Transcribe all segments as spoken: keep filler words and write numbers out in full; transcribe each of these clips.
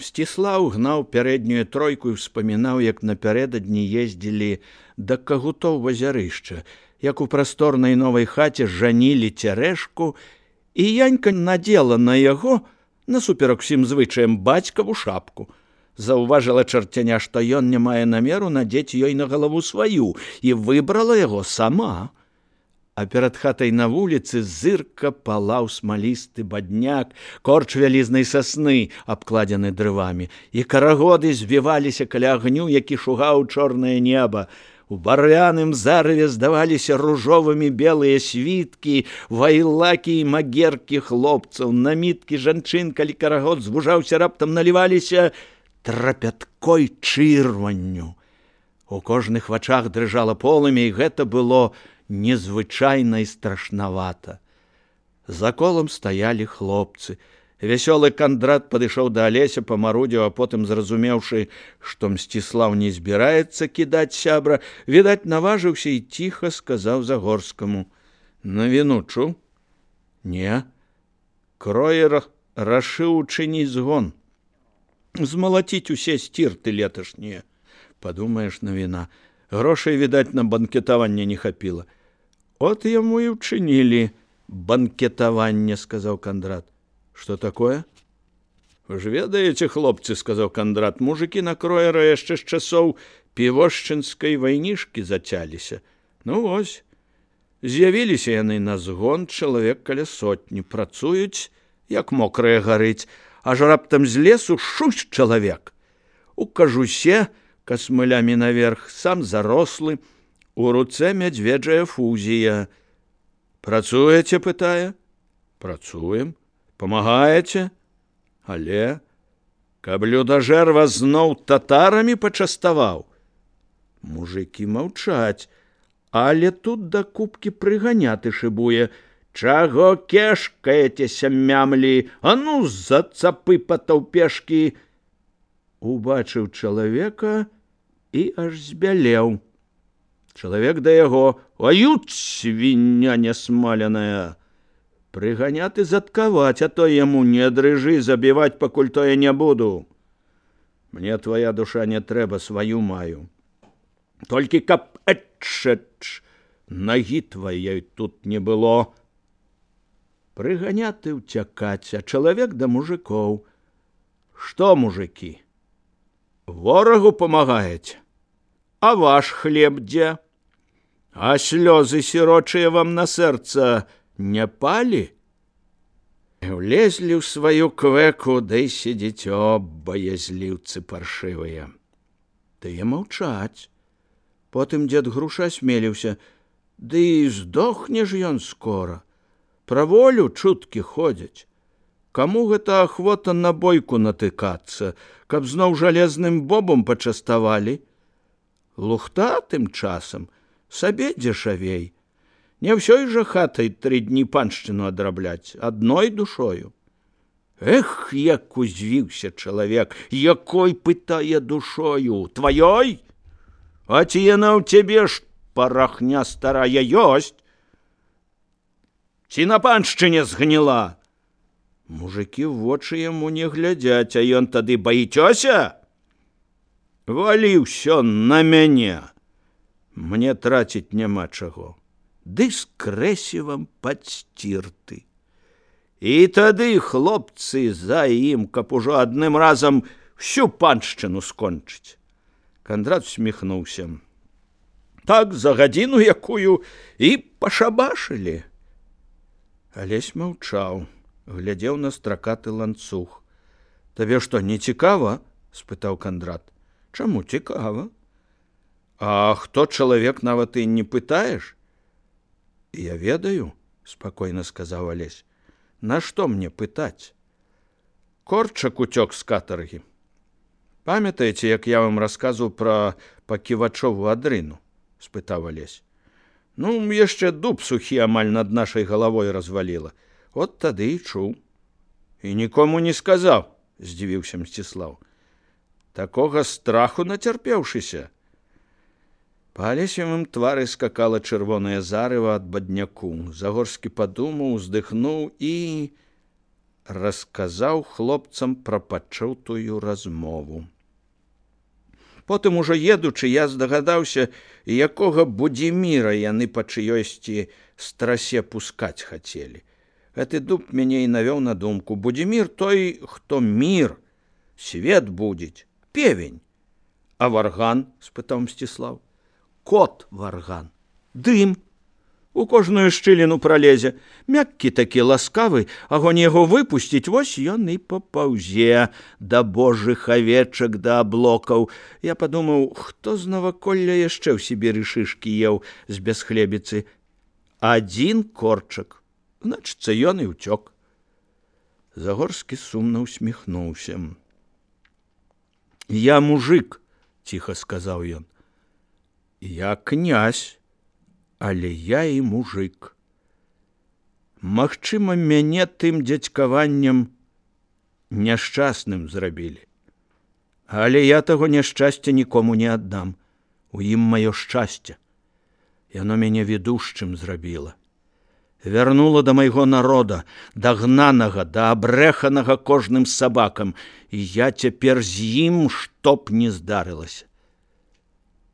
Мсціслаў гнаў пярэднюю тройку і ўспамінаў, як напярэдадні ездзілі да Кагутоў вазярышча, як у прасторнай новай хаце жанілі цярэшку, і Янька надзела на яго, насуперак усім звычаям, бацькаву шапку. Заўважыла чарцяня, што ён не мае намеру надзець ёй на галаву сваю, і выбрала яго сама. А перад хатай на вуліцы зырка палаў смалісты бадняк, корч вялізнай сасны, абкладзены дрывамі, і карагоды звіваліся каля агню, які шугаў чорнае неба. У барвяным зарыве здаваліся ружовымі белыя світкі, вайлакі і магеркі хлопцаў, наміткі жанчын, калі карагод звужаўся, раптам наліваліся трапяткой чырванню. У кожных вачах дрыжала полымя, і гэта было незвычайна і страшнавата. За колам стаялі хлопцы. Вясёлы Кандрат падышоў да Алеся, памарудзіў, а потым, зразумеўшы, што Мсціслаў не збіраецца кідаць сябра, відаць, наважыўся і ціха сказаў Загорскаму: «Навіну чуў?» «Не». «Кроер рашыў учыніць згон. Змалаціць усе сцірты леташнія». «Падумаеш, навіна. Грошай, відаць, на банкетаванне не хапіла». «От яму і ўчынілі банкетаванне», — сказаў Кандрат. «Што такое?» «Вы ж ведаеце, хлопцы, — сказаў Кандрат, — мужыкі на Кроера яшчэ з часоў півошчынскай вайнішкі зацяліся. Ну вось, з'явіліся яны на згон, чалавек каля сотні, працуюць, як мокрая гарыць, аж раптам з лесу шусь чалавек. У кажусе, касмылямі наверх, сам зарослы, у руцэ мядзведжая фузія. «Працуеце?» — пытае. «Працуем». «Памагаеце?» «Але, каб людажэр вас зноў татарамі пачаставаў». Мужыкі маўчаць, але тут да купкі прыганяты шыбуе: «Чаго кешкаецеся, мямлі? А ну, за цапы патаўпешкі!» Убачыў чалавека і аж збялеў. Чалавек да яго: «Ают, свіння нясмаленая! Прыганяты заткаваць, а то яму не дрыжы, забіваць пакуль тое не буду. Мне твоя душа не трэба, сваю маю. Толькі каб эчэч, нагі твоей тут не было». Прыганяты ўцякаць, а чалавек да мужикоў: «Што, мужики, ворагу памагаеце? А ваш хлеб дзе? А слёзы сірочыя вам на сэрца не палі?» Влезлі ў сваю квеку, дай сидзіцё, баязліўцы паршывыя. Тыя маўчаць. Потым дзед Груша асмеліўся: «Ды і здохне ж ён скора. Пра волю чуткі ходзяць. Каму гэта ахвота на бойку натыкацца, каб зноў жалезным бобам пачаставалі? Лухта тым часам сабе дзешавей. Не ўсёй жа хатай тры дні паншчыну адрабляць, адной душою». Эх, як узвіўся чалавек! Якой, пытае, душою? Тваёй? А ці яна ў цябе ж, парахня старая, ёсць? Ці на паншчыне згніла? Мужыкі ў вочы яму не глядзяць, а ён тады: «Баіцёся? Валі ўсё на мяне. Мне траціць няма чаго. Ды з крэсівам падсцірты». І тады хлопцы за ім, каб ужо адным разам всю паншчыну скончыць. Кандрат усміхнуўся. Так за гадзіну якую і пашабашылі. Алесь маўчаў, глядзеў на стракаты ланцуг. «Табе што, не цікава?» — спытаў Кандрат. «Чаму цікава? А хто чалавек, нават і не пытаеш?» «Я ведаю», — спакойна сказаў Алесь. «Нашто мне пытаць? Корчак уцёк з катаргі. Памятаеце, як я вам расказваў пра паківачову адрыну?» — спытаў Алесь. «Ну, яшчэ дуб сухі амаль над нашай галавой разваліла. От тады і чуў». «І нікому не сказаў?» — здзівіўся Мсціслаў. «Такога страху нацярпеўшыся?» Па Алесевым твары скакала чырвонае зарыва ад бадняку. Загорскі падумаў, уздыхнуў і расказаў хлопцам пра пачутую размову. Потым ужо едучы, я здагадаўся, якога Будзіміра яны па чыёсьці страсе пускаць хацелі. Гэты дуб мяне і навёў на думку. Будзімір той, хто мір, свет будзець, певень. А варган? — спытаў Мсціслаў. Кот варган. Дым. У кожную шчыліну пралезе. Мяккі такі ласкавы, агонь яго выпусціць, вось ён і папаўзе да божых авечак, да аблокаў. Я падумаў, хто з наваколля яшчэ ў Сібіры шышкі еў з бясхлебіцы. Адзін корчак. Значыцца, ён і ўцёк. Загорскі сумна усміхнуўся. Я мужик, ціха сказаў ён. Я князь. Але я і мужик. Магчыма, мяне тым дзядзькаваннем няшчасным зрабілі. Але я таго няшчасця нікому не аддам. У ім маё шчасце. Яно мяне ведушчым зрабіла. Вярнула да майго народа, да гнанага, да абрэханага кожным сабакам, і я цяпер з ім, што б не здарылася.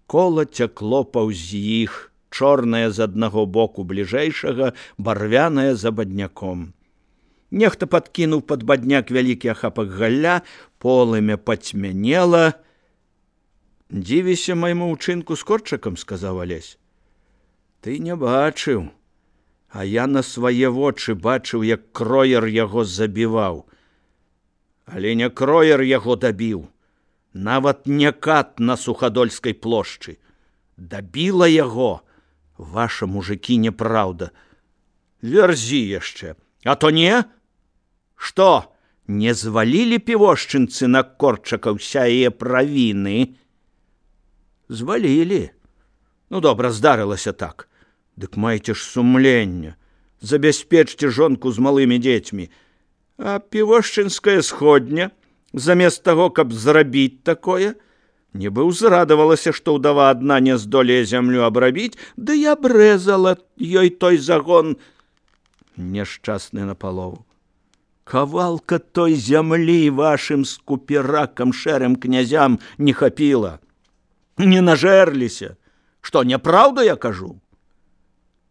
Кола цякло паўз іх, чорная з аднаго боку бліжэйшага, барвяная за бадняком. Нехта падкінуў пад бадняк вялікі ахапак галля, полымя пацьмянела. Дзівіся майму ўчынку з корчакам, сказаў Алесь. Ты не бачыў, а я на свае вочы бачыў, як кроер яго забіваў. Але не кроер яго дабіў, нават не кат на Сухадольскай плошчы. Дабіла яго ваша, мужыкі, неправда. Вярзі яшчэ, а то не? Што, не звалілі півошчынцы на корчака ўсяе правіны? Звалілі. Ну, добра, здарылася так. Дык майце ж сумленне. Забяспечце жонку з малымі дзецьмі. А півошчынская сходня, замест таго, каб зрабіць такое, нібы ўзрадавалася, што ўдава адна не здолее зямлю абрабіць, ды я абрэзала ёй той загон. Няшчасны напалову. Кавалка той зямлі вашым скуперакам, шэрым князям не хапіла. Не нажэрліся. Што, няпраўда я кажу?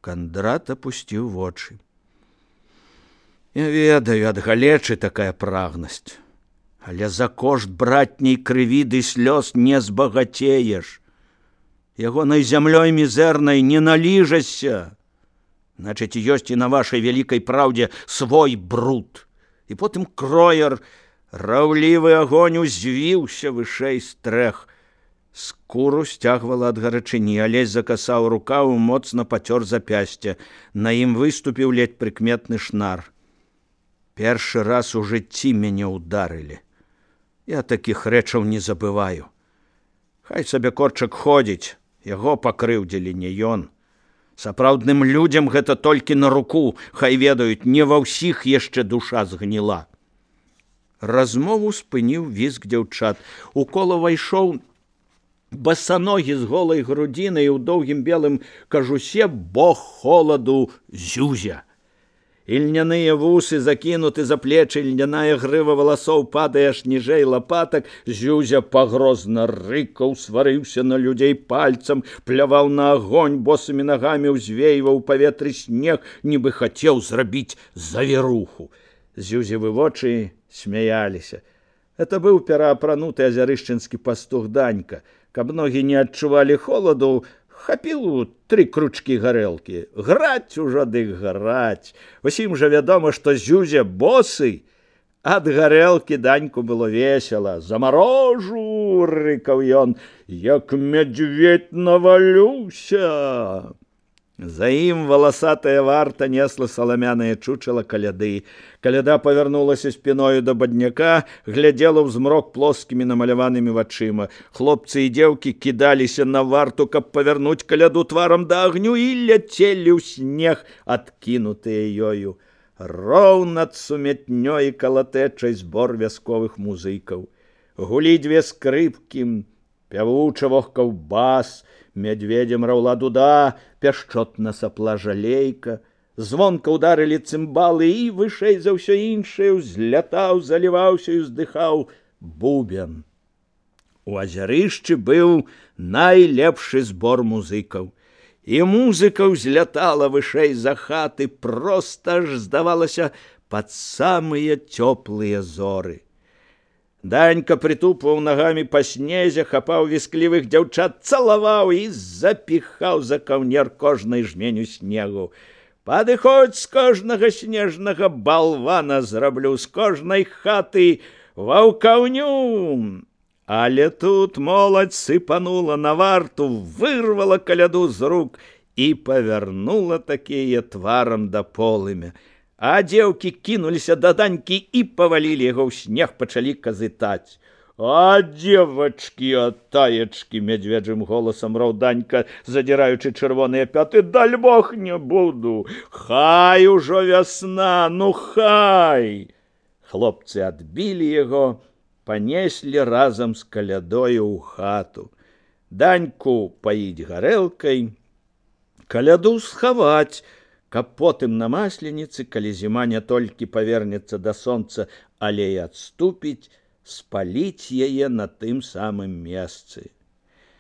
Кандрат апусціў вочы. Я ведаю, ад галечы такая прагнасць. Але за кошт братняй крыві ды слёз не збагацееш. Ягонай зямлёй мізэрнай не наліжашся. Значыць, ёсць і на вашай вялікай праўдзе свой бруд. І потым кроер, раўлівы агонь узвіўся вышэй стрэх. Скуру сцягвала ад гарачыні, Алесь закасаў рукаў, моцна пацёр запясце. На ім выступіў ледь прыкметны шнар. Першы раз у жыцці мяне ударылі. Я такіх рэчаў не забываю. Хай сабе корчак ходзіць, яго пакрыўдзілі не ён. Сапраўдным людзям гэта толькі на руку, хай ведаюць, не ва ўсіх яшчэ душа згніла. Размову спыніў візг дзяўчат. У кола вайшоў басаногі з голай грудзінай у доўгім белым кажусе бог холаду Зюзя. Ільняныя вусы закінуты за плечы, льняная грыва валасоў падае аж ніжэй лапатак. Зюзя пагрозна рыкаў, сварыўся на людзей пальцам, пляваў на агонь, босымі нагамі ўзвейваў паветры снег, нібы хацеў зрабіць завіруху. Зюзевы вочы смяяліся. Это быў пераапрануты азярышчынскі пастух Данька. Каб ногі не адчувалі холаду, хапіў тры кручкі гарэлкі. Граць ужо дык граць. Усім жа вядома, што Зюзя босы. Ад гарэлкі Даньку было весела. Замарожу, рыкаў ён, як мядзведь навалюся. За ім валасатая варта несла саламянае чучала каляды. Каляда павярнулася спіною да бадняка, глядзела ў змрок плоскімі намаляванымі вачыма. Хлопцы і дзеўкі кідаліся на варту, каб павярнуць каляду тварам да агню, і ляцелі ў снег, адкінутыя ёю. Роў над сумятнёй і калатэчай збор вясковых музыкаў. Гулі дзве скрыпкі, пявуча вохкаў бас, мядзведзем раўла дуда, пяшчотна сапла жалейка. звонка ударылі цымбалы, і вышэй за ўсё іншае ўзлятаў, заліваўся і ўздыхаў бубен. У азярышчы быў найлепшы збор музыкаў. І музыка ўзлятала вышэй за хаты, проста ж, здавалася, пад самыя цёплыя зоры. Данька прытупваў нагамі па снезе, хапаў вісклівых дзяўчат, цалаваў і запіхаў за каўнер кожнай жменю снегу. Падыходзь, з кожнага снежнага балвана зраблю, з кожнай хаты ваўкаўню. Але тут моладзь сыпанула на варту, вырвала каляду з рук і павярнула такія тварам да полымя. А дзеўкі кінуліся да Данькі і павалілі яго ў снег, пачалі казытаць. «А, девочки, а таечки!» — медведжым голосом раў Данька, задираючы чырвоныя пяты. «Даль бог не буду! Хай ужо вясна, ну хай!» Хлопцы адбілі яго, панеслі разам з калядою ў хату. Даньку паіць гарэлкай, каляду схаваць, каб потым на масленіцы, калі зіма не толькі павернецца да сонца, але і адступіць, спаліць яе на тым самым месцы.